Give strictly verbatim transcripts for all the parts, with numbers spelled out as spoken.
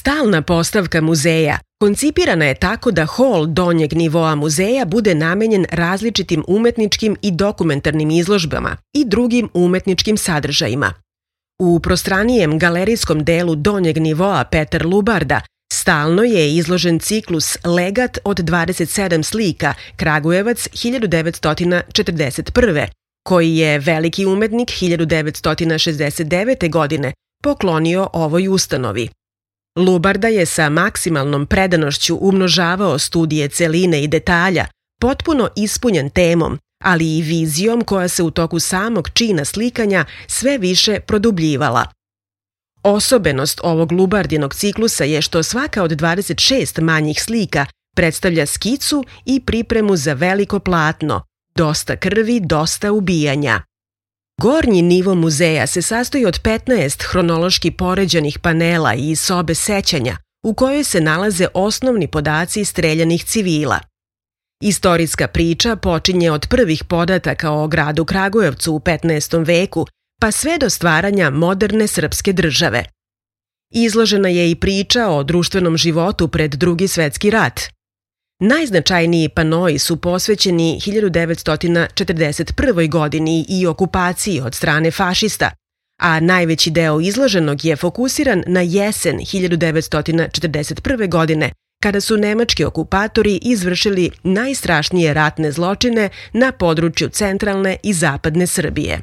Stalna postavka muzeja koncipirana je tako da hol donjeg nivoa muzeja bude namenjen različitim umetničkim i dokumentarnim izložbama i drugim umetničkim sadržajima. U prostranijem galerijskom delu donjeg nivoa Peter Lubarda stalno je izložen ciklus Legat od dvadeset sedam slika Kragujevac hiljadu devetsto četrdeset prve, koji je veliki umetnik hiljadu devetsto šezdeset devete. godine poklonio ovoj ustanovi. Lubarda je sa maksimalnom predanošću umnožavao studije celine i detalja, potpuno ispunjen temom, ali i vizijom koja se u toku samog čina slikanja sve više produbljivala. Osobenost ovog Lubardinog ciklusa je što svaka od dvadeset šest manjih slika predstavlja skicu i pripremu za veliko platno, dosta krvi, dosta ubijanja. Gornji nivo muzeja se sastoji od petnaest hronološki poređanih panela i sobe sećanja, u kojoj se nalaze osnovni podaci streljanih civila. Istorijska priča počinje od prvih podataka o gradu Kragujevcu u petnaestom veku, pa sve do stvaranja moderne srpske države. Izložena je i priča o društvenom životu pred Drugi svetski rat. Najznačajniji panoi su posvećeni hiljadu devetsto četrdeset prvoj. godini i okupaciji od strane fašista, a najveći deo izloženog je fokusiran na jesen hiljadu devetsto četrdeset prve. godine, kada su nemački okupatori izvršili najstrašnije ratne zločine na području centralne i zapadne Srbije.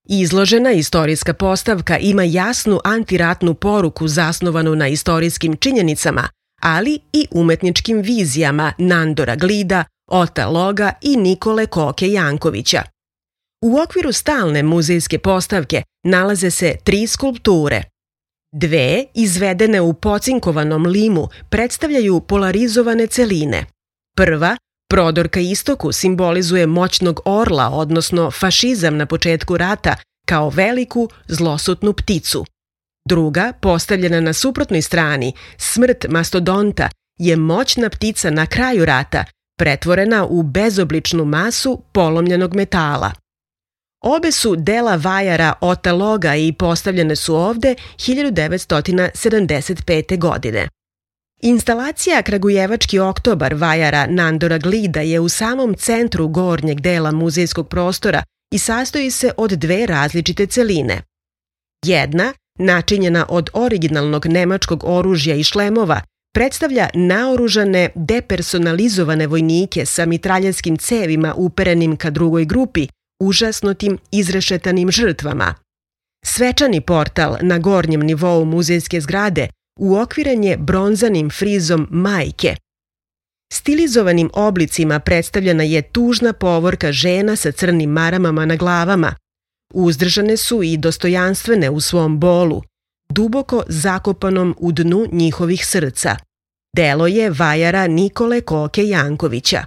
Izložena istorijska postavka ima jasnu antiratnu poruku zasnovanu na istorijskim činjenicama, ali i umetničkim vizijama Nandora Glida, Ota Loga i Nikole Koke Jankovića. U okviru stalne muzejske postavke nalaze se tri skulpture. Dve, izvedene u pocinkovanom limu, predstavljaju polarizovane celine. Prva, prodor ka istoku, simbolizuje moćnog orla, odnosno fašizam na početku rata, kao veliku, zlosutnu pticu. Druga, postavljena na suprotnoj strani, smrt mastodonta, je moćna ptica na kraju rata, pretvorena u bezobličnu masu polomljenog metala. Obe su dela vajara Ota Loga i postavljene su ovde hiljadu devetsto sedamdeset pete. godine. Instalacija Kragujevački oktobar vajara Nandora Glida je u samom centru gornjeg dela muzejskog prostora i sastoji se od dve različite celine. Jedna, načinjena od originalnog nemačkog oružja i šlemova, predstavlja naoružane, depersonalizovane vojnike sa mitraljeskim cevima uperenim ka drugoj grupi, užasnutim izrešetanim žrtvama. Svečani portal na gornjem nivou muzejske zgrade uokviren je bronzanim frizom majke. Stilizovanim oblicima predstavljena je tužna povorka žena sa crnim maramama na glavama. Uzdržane su i dostojanstvene u svom bolu, duboko zakopanom u dnu njihovih srca. Delo je vajara Nikole Koke Jankovića.